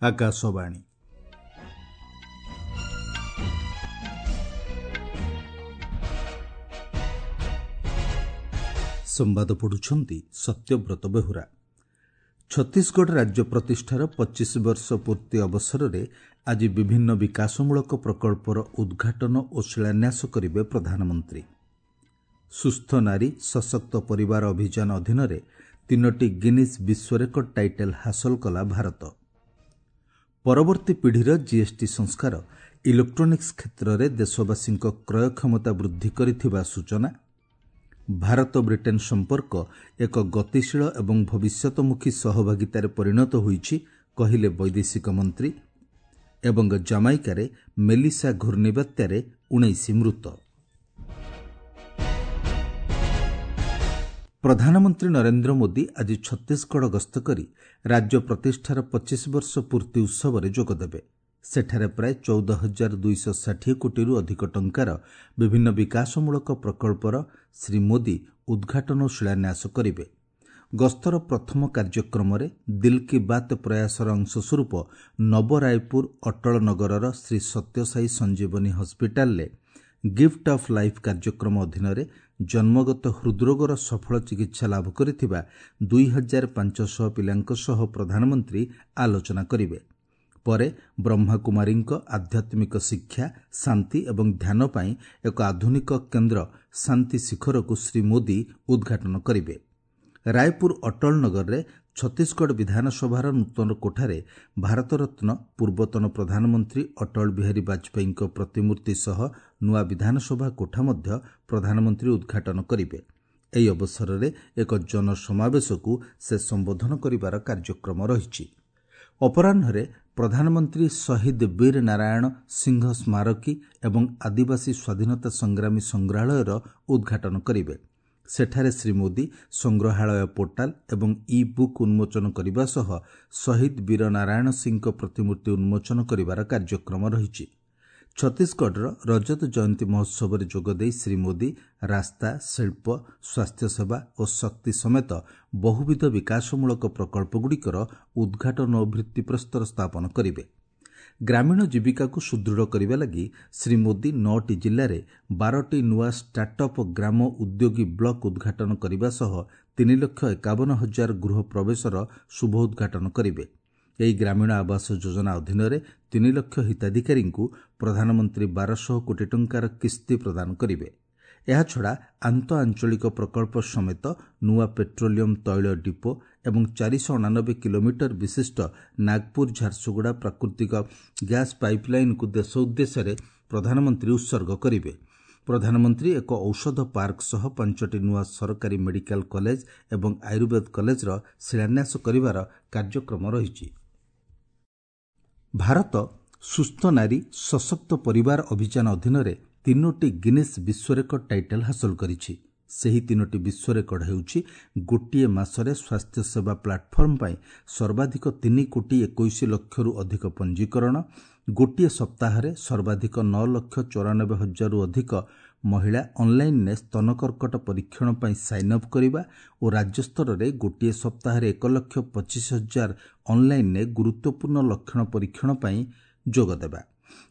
ଆକାଶବାଣୀ। ସମ୍ବାଦ ପଢୁଛନ୍ତି ସତ୍ୟବ୍ରତ ବେହୁରା। ଛତିଶଗଡ଼ ରାଜ୍ୟ ପ୍ରତିଷ୍ଠାର 25 ବର୍ଷ ପୂର୍ତ୍ତି ଅବସରରେ ଆଜି ବିଭିନ୍ନ ବିକାଶମୂଳକ ପ୍ରକଳ୍ପର ଉଦ୍ଘାଟନ ଓ ଶିଳାନ୍ୟାସ କରିବେ ପ୍ରଧାନମନ୍ତ୍ରୀ। ସୁସ୍ଥ ନାରୀ ସଶକ୍ତ ପରିବାର ଅଭିଯାନ ଅଧୀନରେ 3ଟି ଗିନିଜ୍ ବିଶ୍ୱ ରେକର୍ଡ ଟାଇଟଲ୍ ହାସଲ କଲା ଭାରତ। ପରବର୍ତ୍ତୀ ପିଢ଼ିର ଜିଏସ୍ଟି ସଂସ୍କାର ଇଲେକ୍ଟ୍ରୋନିକ୍ସ କ୍ଷେତ୍ରରେ ଦେଶବାସୀଙ୍କ କ୍ରୟ କ୍ଷମତା ବୃଦ୍ଧି କରିଥିବା ସୂଚନା। ଭାରତ ବ୍ରିଟେନ୍ ସମ୍ପର୍କ ଏକ ଗତିଶୀଳ ଏବଂ ଭବିଷ୍ୟତମୁଖୀ ସହଭାଗିତାରେ ପରିଣତ ହୋଇଛି, କହିଲେ ବୈଦେଶିକ ମନ୍ତ୍ରୀ। ଏବଂ ଜାମାଇକାରେ ମେଲିସା ଘୂର୍ଣ୍ଣିବାତ୍ୟାରେ 19 ମୃତ। ପ୍ରଧାନମନ୍ତ୍ରୀ ନରେନ୍ଦ୍ର ମୋଦି ଆଜି ଛତିଶଗଡ଼ ଗସ୍ତ କରି ରାଜ୍ୟ ପ୍ରତିଷ୍ଠାର 25 ବର୍ଷ ପୂର୍ତ୍ତି ଉତ୍ସବରେ ଯୋଗଦେବେ। ସେଠାରେ ପ୍ରାୟ 14,260 କୋଟିରୁ ଅଧିକ ଟଙ୍କାର ବିଭିନ୍ନ ବିକାଶମୂଳକ ପ୍ରକଳ୍ପର ଶ୍ରୀ ମୋଦି ଉଦ୍ଘାଟନ ଓ ଶିଳାନ୍ୟାସ କରିବେ। ଗସ୍ତର ପ୍ରଥମ କାର୍ଯ୍ୟକ୍ରମରେ ଦିଲ୍ କି ବାତ୍ ପ୍ରୟାସର ଅଂଶସ୍ୱରୂପ ନବ ରାୟପୁର ଅଟଳ ନଗରର ଶ୍ରୀ ସତ୍ୟସାଇ ସଞ୍ଜୀବନୀ ହସ୍ପିଟାଲରେ ଗିଫ୍ଟ ଅଫ୍ ଲାଇଫ୍ କାର୍ଯ୍ୟକ୍ରମ ଅଧୀନରେ ଜନ୍ମଗତ ହୃଦ୍ରୋଗର ସଫଳ ଚିକିତ୍ସା ଲାଭ କରିଥିବା 2500 ପିଲାଙ୍କ ସହ ପ୍ରଧାନମନ୍ତ୍ରୀ ଆଲୋଚନା କରିବେ। ପରେ ବ୍ରହ୍ମାକୁମାରୀଙ୍କ ଆଧ୍ୟାତ୍ମିକ ଶିକ୍ଷା, ଶାନ୍ତି ଏବଂ ଧ୍ୟାନ ପାଇଁ ଏକ ଆଧୁନିକ କେନ୍ଦ୍ର ଶାନ୍ତି ଶିଖରକୁ ଶ୍ରୀ ମୋଦି ଉଦ୍ଘାଟନ କରିବେ। ରାୟପୁର ଅଟଳ ନଗରରେ ଛତିଶଗଡ଼ ବିଧାନସଭାର ନୂତନ କୋଠାରେ ଭାରତରତ୍ନ ପୂର୍ବତନ ପ୍ରଧାନମନ୍ତ୍ରୀ ଅଟଳ ବିହାରୀ ବାଜପେୟୀଙ୍କ ପ୍ରତିମୂର୍ତ୍ତି ସହ ନୂଆ ବିଧାନସଭା କୋଠା ମଧ୍ୟ ପ୍ରଧାନମନ୍ତ୍ରୀ ଉଦ୍ଘାଟନ କରିବେ। ଏହି ଅବସରରେ ଏକ ଜନସମାବେଶକୁ ସେ ସମ୍ବୋଧନ କରିବାର କାର୍ଯ୍ୟକ୍ରମ ରହିଛି। ଅପରାହ୍ନରେ ପ୍ରଧାନମନ୍ତ୍ରୀ ଶହୀଦ ବୀର ନାରାୟଣ ସିଂହ ସ୍ମାରକୀ ଏବଂ ଆଦିବାସୀ ସ୍ୱାଧୀନତା ସଂଗ୍ରାମୀ ସଂଗ୍ରହାଳୟର ଉଦ୍ଘାଟନ କରିବେ। ସେଠାରେ ଶ୍ରୀ ମୋଦି ସଂଗ୍ରହାଳୟ ପୋର୍ଟାଲ ଏବଂ ଇ ବୁକ୍ ଉନ୍ମୋଚନ କରିବା ସହ ଶହୀଦ ବୀର ନାରାୟଣ ସିଂହଙ୍କ ପ୍ରତିମୂର୍ତ୍ତି ଉନ୍ମୋଚନ କରିବାର କାର୍ଯ୍ୟକ୍ରମ ରହିଛି। ଛତିଶଗଡ଼ର ରଜତ ଜୟନ୍ତୀ ମହୋତ୍ସବରେ ଯୋଗଦେଇ ଶ୍ରୀ ମୋଦି ରାସ୍ତା, ଶିଳ୍ପ, ସ୍ୱାସ୍ଥ୍ୟସେବା ଓ ଶକ୍ତି ସମେତ ବହୁବିଧ ବିକାଶମୂଳକ ପ୍ରକଳ୍ପଗୁଡ଼ିକର ଉଦ୍ଘାଟନ ଓ ଭିତ୍ତିପ୍ରସ୍ତର ସ୍ଥାପନ କରିବେ। ଗ୍ରାମୀଣ ଜୀବିକାକୁ ସୁଦୃଢ଼ କରିବା ଲାଗି ଶ୍ରୀ ମୋଦି 9ଟି ଜିଲ୍ଲାରେ 12ଟି ନୂଆ ଷ୍ଟାର୍ଟଅପ୍ ଗ୍ରାମ ଉଦ୍ୟୋଗୀ ବ୍ଲକ୍ ଉଦ୍ଘାଟନ କରିବା ସହ 3,51,000 ଗୃହ ପ୍ରବେଶର ଶୁଭ ଉଦ୍ଘାଟନ କରିବେ। ଏହି ଗ୍ରାମୀଣ ଆବାସ ଯୋଜନା ଅଧୀନରେ 3 ଲକ୍ଷ ହିତାଧିକାରୀଙ୍କୁ ପ୍ରଧାନମନ୍ତ୍ରୀ 1,200 କୋଟି ଟଙ୍କାର କିସ୍ତି ପ୍ରଦାନ କରିବେ। ଏହାଛଡ଼ା ଆନ୍ତଃ ଆଞ୍ଚଳିକ ପ୍ରକଳ୍ପ ସମେତ ନୂଆ ପେଟ୍ରୋଲିୟମ ତୈଳ ଡିପୋ ଏବଂ 489 କିଲୋମିଟର ବିଶିଷ୍ଟ ନାଗପୁର ଝାରସୁଗୁଡ଼ା ପ୍ରାକୃତିକ ଗ୍ୟାସ୍ ପାଇପ୍ଲାଇନ୍କୁ ଦେଶ ଉଦ୍ଦେଶ୍ୟରେ ପ୍ରଧାନମନ୍ତ୍ରୀ ଉତ୍ସର୍ଗ କରିବେ। ପ୍ରଧାନମନ୍ତ୍ରୀ ଏକ ଔଷଧ ପାର୍କ ସହ 5ଟି ନୂଆ ସରକାରୀ ମେଡିକାଲ କଲେଜ ଏବଂ ଆୟୁର୍ବେଦ କଲେଜର ଶିଳାନ୍ୟାସ କରିବାର କାର୍ଯ୍ୟକ୍ରମ ରହିଛି। ଭାରତ ସୁସ୍ଥ ନାରୀ ସଶକ୍ତ ପରିବାର ଅଭିଯାନ ଅଧୀନରେ 3ଟି ଗିନିଜ୍ ବିଶ୍ୱ ରେକର୍ଡ ଟାଇଟଲ୍ ହାସଲ କରିଛି। ସେହି 3ଟି ବିଶ୍ୱ ରେକର୍ଡ ହେଉଛି ଗୋଟିଏ ମାସରେ ସ୍ୱାସ୍ଥ୍ୟସେବା ପ୍ଲାଟଫର୍ମ ପାଇଁ ସର୍ବାଧିକ 3 କୋଟି 21 ଲକ୍ଷରୁ ଅଧିକ ପଞ୍ଜୀକରଣ, ଗୋଟିଏ ସପ୍ତାହରେ ସର୍ବାଧିକ 9,94,000ରୁ ଅଧିକ ମହିଳା ଅନ୍ଲାଇନ୍ରେ ସ୍ତନ କର୍କଟ ପରୀକ୍ଷଣ ପାଇଁ ସାଇନ୍ ଅପ୍ କରିବା ଓ ରାଜ୍ୟସ୍ତରରେ ଗୋଟିଏ ସପ୍ତାହରେ 1,25,000 ଅନ୍ଲାଇନ୍ରେ ଗୁରୁତ୍ୱପୂର୍ଣ୍ଣ ଲକ୍ଷଣ ପରୀକ୍ଷଣ ପାଇଁ ଯୋଗଦେବା।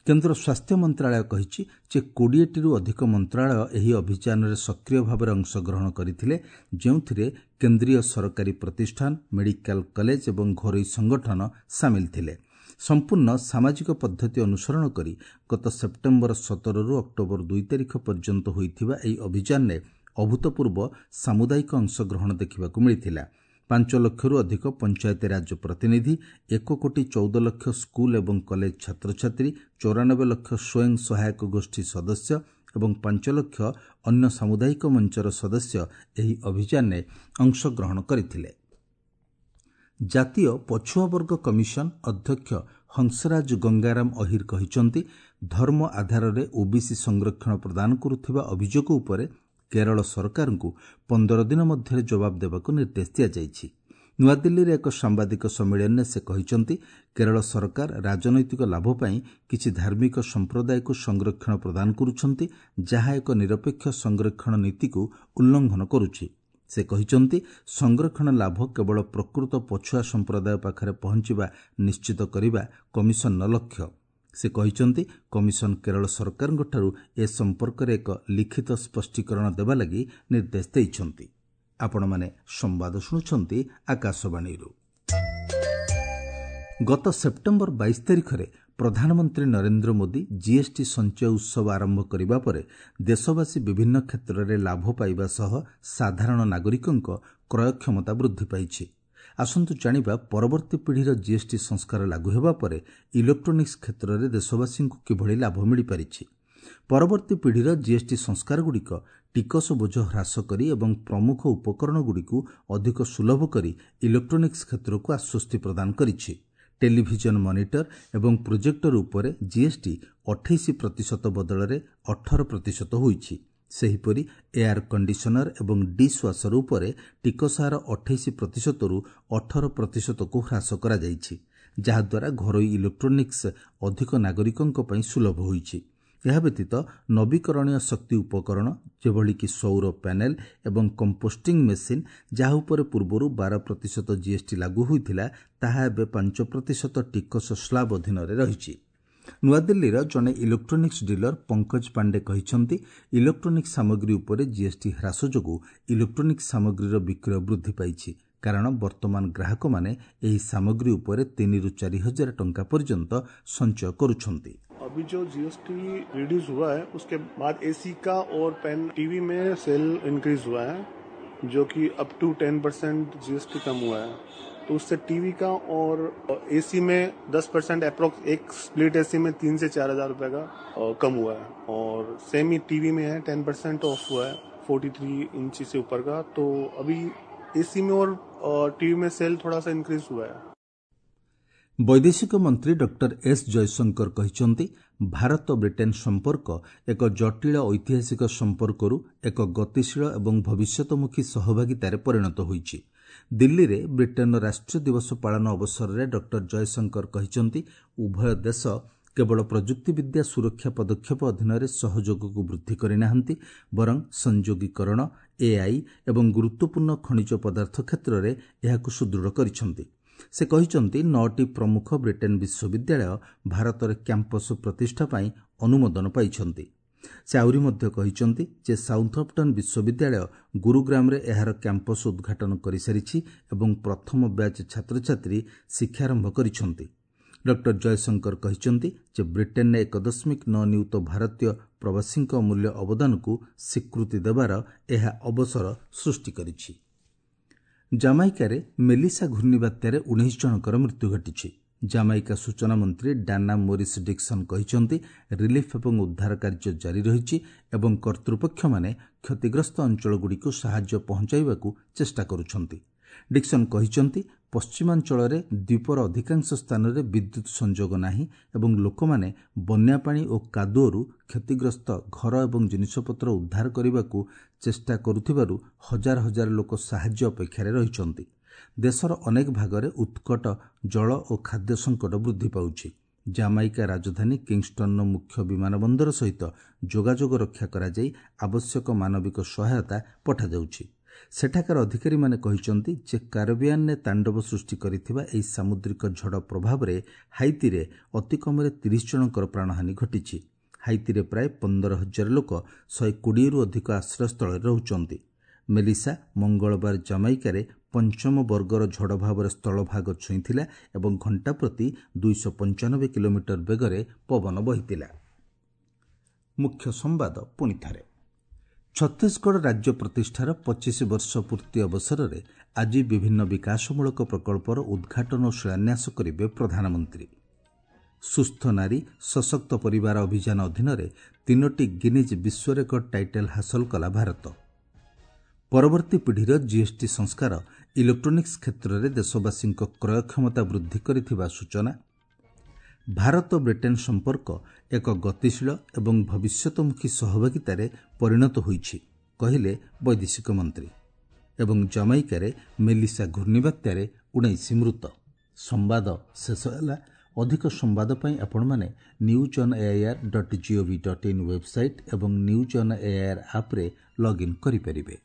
କେନ୍ଦ୍ର ସ୍ୱାସ୍ଥ୍ୟ ମନ୍ତ୍ରଣାଳୟ କହିଛି ଯେ 20ଟିରୁ ଅଧିକ ମନ୍ତ୍ରଣାଳୟ ଏହି ଅଭିଯାନରେ ସକ୍ରିୟ ଭାବରେ ଅଂଶଗ୍ରହଣ କରିଥିଲେ, ଯେଉଁଥିରେ କେନ୍ଦ୍ରୀୟ ସରକାରୀ ପ୍ରତିଷ୍ଠାନ, ମେଡିକାଲ କଲେଜ ଏବଂ ଘରୋଇ ସଂଗଠନ ସାମିଲ ଥିଲେ। ସମ୍ପୂର୍ଣ୍ଣ ସାମାଜିକ ପଦ୍ଧତି ଅନୁସରଣ କରି ଗତ ସେପ୍ଟେମ୍ବର 17ରୁ ଅକ୍ଟୋବର 2 ତାରିଖ ପର୍ଯ୍ୟନ୍ତ ହୋଇଥିବା ଏହି ଅଭିଯାନରେ ଅଭୂତପୂର୍ବ ସାମୁଦାୟିକ ଅଂଶଗ୍ରହଣ ଦେଖିବାକୁ ମିଳିଥିଲା। 5 ଲକ୍ଷରୁ ଅଧିକ ପଞ୍ଚାୟତିରାଜ ପ୍ରତିନିଧି, 1 କୋଟି 14 ଲକ୍ଷ ସ୍କୁଲ ଏବଂ କଲେଜ ଛାତ୍ରଛାତ୍ରୀ, 94 ଲକ୍ଷ ସ୍ୱୟଂ ସହାୟକ ଗୋଷ୍ଠୀ ସଦସ୍ୟ ଏବଂ 5 ଲକ୍ଷ ଅନ୍ୟ ସାମୁଦାୟିକ ମଞ୍ଚର ସଦସ୍ୟ ଏହି ଅଭିଯାନରେ ଅଂଶଗ୍ରହଣ କରିଥିଲେ। ଜାତୀୟ ପଛୁଆବର୍ଗ କମିଶନ ଅଧ୍ୟକ୍ଷ ହଂସରାଜ ଗଙ୍ଗାରାମ ଅହିର କହିଛନ୍ତି, ଧର୍ମ ଆଧାରରେ ଓବିସି ସଂରକ୍ଷଣ ପ୍ରଦାନ କରୁଥିବା ଅଭିଯୋଗ ଉପରେ କେରଳ ସରକାରଙ୍କୁ 15 ଦିନ ମଧ୍ୟରେ ଜବାବ ଦେବାକୁ ନିର୍ଦ୍ଦେଶ ଦିଆଯାଇଛି। ନୂଆଦିଲ୍ଲୀରେ ଏକ ସାମ୍ବାଦିକ ସମ୍ମିଳନୀରେ ସେ କହିଛନ୍ତି, କେରଳ ସରକାର ରାଜନୈତିକ ଲାଭ ପାଇଁ କିଛି ଧାର୍ମିକ ସମ୍ପ୍ରଦାୟକୁ ସଂରକ୍ଷଣ ପ୍ରଦାନ କରୁଛନ୍ତି, ଯାହା ଏକ ନିରପେକ୍ଷ ସଂରକ୍ଷଣ ନୀତିକୁ ଉଲ୍ଲଂଘନ କରୁଛି। ସେ କହିଛନ୍ତି, ସଂରକ୍ଷଣ ଲାଭ କେବଳ ପ୍ରକୃତ ପଛୁଆ ସମ୍ପ୍ରଦାୟ ପାଖରେ ପହଞ୍ଚିବା ନିଶ୍ଚିତ କରିବା କମିଶନର ଲକ୍ଷ୍ୟ। ସେ କହିଛନ୍ତି, କମିଶନ କେରଳ ସରକାରଙ୍କଠାରୁ ଏ ସମ୍ପର୍କରେ ଏକ ଲିଖିତ ସ୍ପଷ୍ଟୀକରଣ ଦେବା ଲାଗି ନିର୍ଦ୍ଦେଶ ଦେଇଛନ୍ତି। ଆପଣମାନେ ସମ୍ବାଦ ଶୁଣୁଛନ୍ତି ଆକାଶବାଣୀରୁ। ଗତ ସେପ୍ଟେମ୍ବର 22 ତାରିଖରେ ପ୍ରଧାନମନ୍ତ୍ରୀ ନରେନ୍ଦ୍ର ମୋଦି ଜିଏସ୍ଟି ସଞ୍ଚୟ ଉତ୍ସବ ଆରମ୍ଭ କରିବା ପରେ ଦେଶବାସୀ ବିଭିନ୍ନ କ୍ଷେତ୍ରରେ ଲାଭ ପାଇବା ସହ ସାଧାରଣ ନାଗରିକଙ୍କ କ୍ରୟ କ୍ଷମତା ବୃଦ୍ଧି ପାଇଛି। ଆସନ୍ତୁ ଜାଣିବା ପରବର୍ତ୍ତୀ ପିଢ଼ିର ଜିଏସ୍ଟି ସଂସ୍କାର ଲାଗୁ ହେବା ପରେ ଇଲେକ୍ଟ୍ରୋନିକ୍ସ କ୍ଷେତ୍ରରେ ଦେଶବାସୀଙ୍କୁ କିଭଳି ଲାଭ ମିଳିପାରିଛି। ପରବର୍ତ୍ତୀ ପିଢ଼ିର ଜିଏସ୍ଟି ସଂସ୍କାରଗୁଡ଼ିକ ଟିକସ ବୋଝ ହ୍ରାସ କରି ଏବଂ ପ୍ରମୁଖ ଉପକରଣଗୁଡ଼ିକୁ ଅଧିକ ସୁଲଭ କରି ଇଲେକ୍ଟ୍ରୋନିକ୍ସ କ୍ଷେତ୍ରକୁ ଆଶ୍ୱସ୍ତି ପ୍ରଦାନ କରିଛି। ଟେଲିଭିଜନ ମନିଟର ଏବଂ ପ୍ରୋଜେକ୍ଟର ଉପରେ ଜିଏସ୍ଟି 28% ବଦଳରେ 18% ହୋଇଛି। ସେହିପରି ଏୟାର କଣ୍ଡିସନର ଏବଂ ଡିସ୍ ୱାସର ଉପରେ ଟିକସ ହାର 28%ରୁ 18%କୁ ହ୍ରାସ କରାଯାଇଛି, ଯାହାଦ୍ୱାରା ଘରୋଇ ଇଲେକ୍ଟ୍ରୋନିକ୍ସ ଅଧିକ ନାଗରିକଙ୍କ ପାଇଁ ସୁଲଭ ହୋଇଛି। ଏହା ବ୍ୟତୀତ ନବୀକରଣୀୟ ଶକ୍ତି ଉପକରଣ ଯେଭଳିକି ସୌର ପ୍ୟାନେଲ ଏବଂ କମ୍ପୋଷ୍ଟିଂ ମେସିନ୍, ଯାହା ଉପରେ ପୂର୍ବରୁ 12% ଜିଏସ୍ଟି ଲାଗୁ ହୋଇଥିଲା, ତାହା ଏବେ 5% ଟିକସ ସ୍ଲାବ୍ ଅଧୀନରେ ରହିଛି। ନୂଆଦିଲ୍ଲୀର ଜଣେ ଇଲେକ୍ଟ୍ରୋନିକ୍ସ ଡିଲର ପଙ୍କଜ ପାଣ୍ଡେ କହିଛନ୍ତି, ଇଲେକ୍ଟ୍ରୋନିକ୍ସ ସାମଗ୍ରୀ ଉପରେ ଜିଏସ୍ଟି ହ୍ରାସ ଯୋଗୁଁ ଇଲେକ୍ଟ୍ରୋନିକ୍ସ ସାମଗ୍ରୀର ବିକ୍ରୟ ବୃଦ୍ଧି ପାଇଛି, କାରଣ ବର୍ତ୍ତମାନ ଗ୍ରାହକମାନେ ଏହି ସାମଗ୍ରୀ ଉପରେ 3ରୁ 4 ହଜାର ଟଙ୍କା ପର୍ଯ୍ୟନ୍ତ ସଞ୍ଚୟ କରୁଛନ୍ତି। अभी जो जीएसटी रिड्यूस हुआ है उसके बाद एसी का और पेन टीवी में सेल इंक्रीज हुआ है, जो कि अप टू 10% जीएसटी कम हुआ है। तो उससे टीवी का और एसी में 10% अप्रोक्स, एक स्प्लिट एसी में 3 से 4 हजार रुपए का कम हुआ है। और सेम ही टीवी में है, 10% ऑफ हुआ है 43 इंची से ऊपर का। तो अभी एसी में और टीवी में सेल थोड़ा सा इंक्रीज हुआ है। ବୈଦେଶିକ ମନ୍ତ୍ରୀ ଡକ୍ଟର ଏସ୍ ଜୟଶଙ୍କର କହିଛନ୍ତି, ଭାରତ ବ୍ରିଟେନ୍ ସମ୍ପର୍କ ଏକ ଜଟିଳ ଐତିହାସିକ ସମ୍ପର୍କରୁ ଏକ ଗତିଶୀଳ ଏବଂ ଭବିଷ୍ୟତମୁଖୀ ସହଭାଗିତାରେ ପରିଣତ ହୋଇଛି। ଦିଲ୍ଲୀରେ ବ୍ରିଟେନ୍ର ରାଷ୍ଟ୍ରୀୟ ଦିବସ ପାଳନ ଅବସରରେ ଡକ୍ଟର ଜୟଶଙ୍କର କହିଛନ୍ତି, ଉଭୟ ଦେଶ କେବଳ ପ୍ରଯୁକ୍ତିବିଦ୍ୟା ସୁରକ୍ଷା ପଦକ୍ଷେପ ଅଧୀନରେ ସହଯୋଗକୁ ବୃଦ୍ଧି କରିନାହାନ୍ତି, ବରଂ ସଂଯୋଗୀକରଣ, ଏଆଇ ଏବଂ ଗୁରୁତ୍ୱପୂର୍ଣ୍ଣ ଖଣିଜ ପଦାର୍ଥ କ୍ଷେତ୍ରରେ ଏହାକୁ ସୁଦୃଢ଼ କରିଛନ୍ତି। ସେ କହିଛନ୍ତି, 9ଟି ପ୍ରମୁଖ ବ୍ରିଟେନ୍ ବିଶ୍ୱବିଦ୍ୟାଳୟ ଭାରତରେ କ୍ୟାମ୍ପସ ପ୍ରତିଷ୍ଠା ପାଇଁ ଅନୁମୋଦନ ପାଇଛନ୍ତି। ସେ ଆହୁରି ମଧ୍ୟ କହିଛନ୍ତି ଯେ ସାଉଥମ୍ପଟନ୍ ବିଶ୍ୱବିଦ୍ୟାଳୟ ଗୁରୁଗ୍ରାମରେ ଏହାର କ୍ୟାମ୍ପସ ଉଦ୍ଘାଟନ କରିସାରିଛି ଏବଂ ପ୍ରଥମ ବ୍ୟାଚ୍ ଛାତ୍ରଛାତ୍ରୀ ଶିକ୍ଷାରମ୍ଭ କରିଛନ୍ତି। ଡକ୍ଟର ଜୟଶଙ୍କର କହିଛନ୍ତି ଯେ ବ୍ରିଟେନ୍ରେ 1.9 ନିୟୁତ ଭାରତୀୟ ପ୍ରବାସୀଙ୍କ ଅମୂଲ୍ୟ ଅବଦାନକୁ ସ୍ୱୀକୃତି ଦେବାର ଏହା ଅବସର ସୃଷ୍ଟି କରିଛି। ଜାମାଇକାରେ ମେଲିସା ଘୂର୍ଣ୍ଣିବାତ୍ୟାରେ 19 ଜଣଙ୍କର ମୃତ୍ୟୁ ଘଟିଛି। ଜାମାଇକା ସୂଚନା ମନ୍ତ୍ରୀ ଡାନା ମୋରିସ୍ ଡିକ୍ସନ୍ କହିଛନ୍ତି, ରିଲିଫ୍ ଏବଂ ଉଦ୍ଧାର କାର୍ଯ୍ୟ ଜାରି ରହିଛି ଏବଂ କର୍ତ୍ତୃପକ୍ଷମାନେ କ୍ଷତିଗ୍ରସ୍ତ ଅଞ୍ଚଳଗୁଡ଼ିକୁ ସାହାଯ୍ୟ ପହଞ୍ଚାଇବାକୁ ଚେଷ୍ଟା କରୁଛନ୍ତି। ଡିକ୍ସନ୍ କହିଛନ୍ତି, ପଶ୍ଚିମାଞ୍ଚଳରେ ଦ୍ୱୀପର ଅଧିକାଂଶ ସ୍ଥାନରେ ବିଦ୍ୟୁତ୍ ସଂଯୋଗ ନାହିଁ ଏବଂ ଲୋକମାନେ ବନ୍ୟାପାଣି ଓ କାଦୁଅରୁ କ୍ଷତିଗ୍ରସ୍ତ ଘର ଏବଂ ଜିନିଷପତ୍ର ଉଦ୍ଧାର କରିବାକୁ ଚେଷ୍ଟା କରୁଥିବାରୁ ହଜାର ହଜାର ଲୋକ ସାହାଯ୍ୟ ଅପେକ୍ଷାରେ ରହିଛନ୍ତି। ଦେଶର ଅନେକ ଭାଗରେ ଉତ୍କଟ ଜଳ ଓ ଖାଦ୍ୟ ସଙ୍କଟ ବୃଦ୍ଧି ପାଉଛି। ଜାମାଇକା ରାଜଧାନୀ କିଙ୍ଗଷ୍ଟନର ମୁଖ୍ୟ ବିମାନ ବନ୍ଦର ସହିତ ଯୋଗାଯୋଗ ରକ୍ଷା କରାଯାଇ ଆବଶ୍ୟକ ମାନବିକ ସହାୟତା ପଠାଯାଉଛି। ସେଠାକାର ଅଧିକାରୀମାନେ କହିଛନ୍ତି ଯେ କାରବିଆନରେ ତାଣ୍ଡବ ସୃଷ୍ଟି କରିଥିବା ଏହି ସାମୁଦ୍ରିକ ଝଡ଼ ପ୍ରଭାବରେ ହାଇତିରେ ଅତିକମ୍ରେ 30 ଜଣଙ୍କର ପ୍ରାଣହାନି ଘଟିଛି। ହାଇତିରେ ପ୍ରାୟ 15,000 ଲୋକ 120ରୁ ଅଧିକ ଆଶ୍ରୟସ୍ଥଳରେ ରହୁଛନ୍ତି। ମେଲିସା ମଙ୍ଗଳବାର ଜାମାଇକାରେ ପଞ୍ଚମ ବର୍ଗର ଝଡ଼ ଭାବରେ ସ୍ଥଳଭାଗ ଛୁଇଁଥିଲା ଏବଂ ଘଣ୍ଟା ପ୍ରତି 295 କିଲୋମିଟର ବେଗରେ ପବନ ବହିଥିଲା। ମୁଖ୍ୟ ସମ୍ବାଦ ପୁଣିଥରେ। ଛତିଶଗଡ଼ ରାଜ୍ୟ ପ୍ରତିଷ୍ଠାର 25 ବର୍ଷ ପୂର୍ତ୍ତି ଅବସରରେ ଆଜି ବିଭିନ୍ନ ବିକାଶମୂଳକ ପ୍ରକଳ୍ପର ଉଦ୍ଘାଟନ ଓ ଶିଳାନ୍ୟାସ କରିବେ ପ୍ରଧାନମନ୍ତ୍ରୀ। ସୁସ୍ଥ ନାରୀ ସଶକ୍ତ ପରିବାର ଅଭିଯାନ ଅଧୀନରେ 3ଟି ଗିନିଜ୍ ବିଶ୍ୱ ରେକର୍ଡ ଟାଇଟଲ୍ ହାସଲ କଲା ଭାରତ। ପରବର୍ତ୍ତୀ ପିଢ଼ିର ଜିଏସ୍ଟି ସଂସ୍କାର ଇଲେକ୍ଟ୍ରୋନିକ୍ସ କ୍ଷେତ୍ରରେ ଦେଶବାସୀଙ୍କ କ୍ରୟ କ୍ଷମତା ବୃଦ୍ଧି କରିଥିବା ସୂଚନା। ଭାରତ ବ୍ରିଟେନ୍ ସମ୍ପର୍କ ଏକ ଗତିଶୀଳ ଏବଂ ଭବିଷ୍ୟତମୁଖୀ ସହଭାଗିତାରେ ପରିଣତ ହୋଇଛି, କହିଲେ ବୈଦେଶିକ ମନ୍ତ୍ରୀ। ଏବଂ ଜାମାଇକାରେ ମେଲିସା ଘୂର୍ଣ୍ଣିବାତ୍ୟାରେ 19 ମୃତ। ସମ୍ବାଦ ଶେଷ ହେଲା। ଅଧିକ ସମ୍ବାଦ ପାଇଁ ଆପଣମାନେ newsonair.gov.in website ଏବଂ ନ୍ୟୁଜ୍ ଅନ୍ ଏଆଇଆର୍ ଆପ୍ରେ ଲଗ୍ଇନ୍ କରିପାରିବେ।